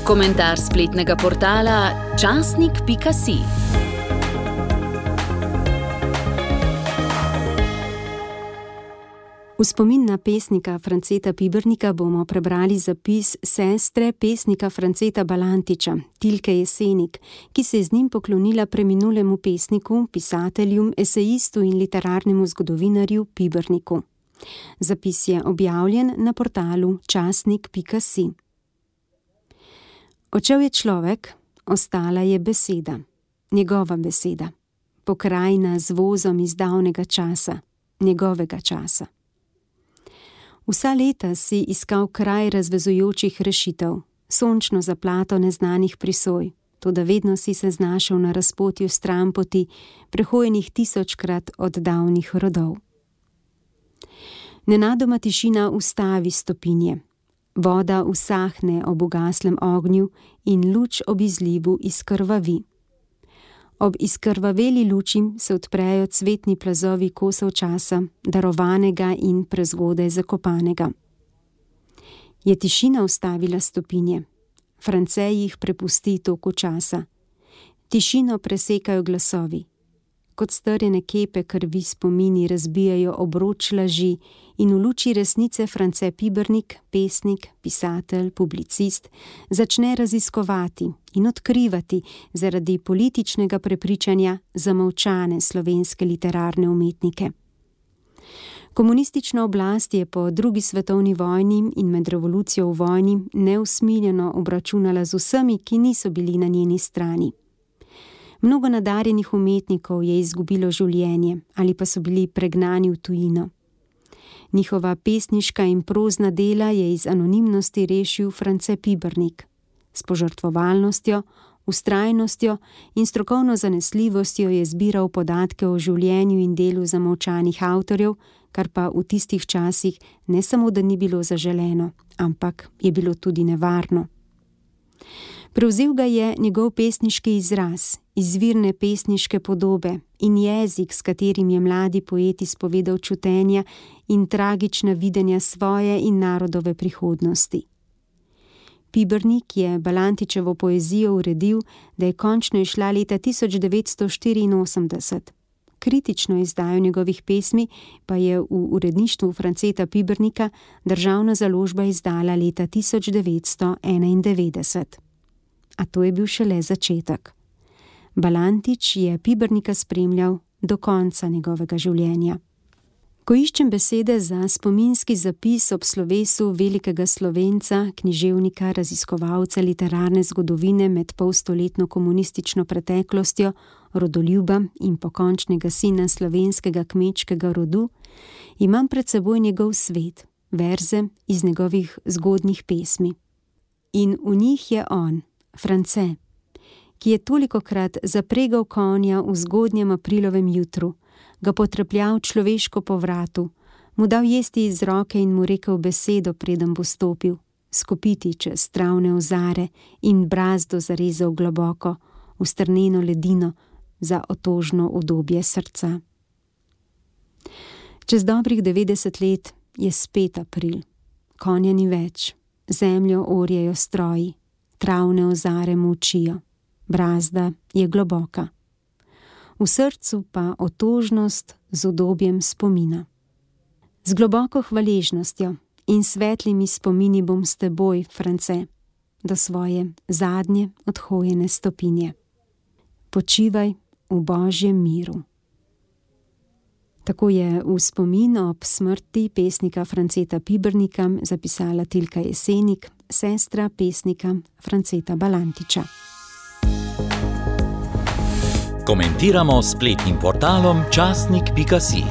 Komentar spletnega portala časnik.si. V spomin na pesnika Franceta Pibernika bomo prebrali zapis sestre pesnika Franceta Balantiča, Tilke Jesenik, ki se je z njim poklonila preminulemu pesniku, pisatelju, esejistu in literarnemu zgodovinarju Piberniku. Zapis je objavljen na portalu časnik.si. Odšel je človek, ostala je beseda, njegova beseda, pokrajina z vozom iz davnega časa, njegovega časa. Vsa leta si iskal kraj razvezujočih rešitev, sončno zaplato neznanih prisoj, toda vedno si se znašel na razpotju stranpoti, prehojenih 1000-krat od davnih rodov. Nenadoma tišina ustavi stopinje, voda usahne ob ugaslem ognju in luč ob izlivu izkrvavi. Ob izkrvaveli luči se odprejo cvetni plazovi kosov časa, darovanega in prezgodaj zakopanega. Je tišina ustavila stopinje? France jih prepusti toku časa. Tišino presekajo glasovi. Kot strjene kepe krvi spomini razbijajo obroč laži in v luči resnice France Pibernik, pesnik, pisatelj, publicist, začne raziskovati in odkrivati zaradi političnega prepričanja zamolčane slovenske literarne umetnike. Komunistična oblast je po drugi svetovni vojni in med revolucijo v vojni neusmiljeno obračunala z vsemi, ki niso bili na njeni strani. Mnogo nadarjenih umetnikov je izgubilo življenje ali pa so bili pregnani v tujino. Njihova pesniška in prozna dela je iz anonimnosti rešil France Pibernik. S požrtvovalnostjo, vztrajnostjo in strokovno zanesljivostjo je zbiral podatke o življenju in delu zamolčanih avtorjev, kar pa v tistih časih ne samo, da ni bilo zaželeno, ampak je bilo tudi nevarno. Prevzel ga je njegov pesniški izraz, izvirne pesniške podobe in jezik, s katerim je mladi poet izpovedal čutenja in tragična videnja svoje in narodove prihodnosti. Pibernik je Balantičevo poezijo uredil, da je končno izšla leta 1984. Kritično izdajo njegovih pesmi pa je v uredništvu Franceta Pibernika državna založba izdala leta 1991. A to je bil šele začetek. Balantič je Pibernika spremljal do konca njegovega življenja. Ko iščem besede za spominski zapis ob slovesu velikega Slovenca, književnika, raziskovalca literarne zgodovine med polstoletno komunistično preteklostjo, rodoljuba in pokončnega sina slovenskega kmečkega rodu, imam pred seboj njegov svet, verze iz njegovih zgodnjih pesmi. In v njih je on, France, ki je tolikokrat zapregal konja v zgodnjem aprilovem jutru, ga potrepljal človeško po vratu, mu dal jesti iz roke in mu rekel besedo, preden bo stopil, skopiti čez travne ozare in brazdo zarezal globoko v strneno ledino za otožno udobje srca. Čez dobrih 90 let je spet april, konja ni več, zemljo orjejo stroji, travne ozare molčijo, brazda je globoka. V srcu pa otožnost z udobjem spomina. Z globoko hvaležnostjo in svetlimi spomini bom s teboj, France, do svoje zadnje odhojene stopinje. Počivaj v Božjem miru. Tako je v spomin ob smrti pesnika Franceta Pibernika zapisala Tilka Jesenik, sestra pesnika Franceta Balantiča. Komentiramo s spletnim portalom časnik.si.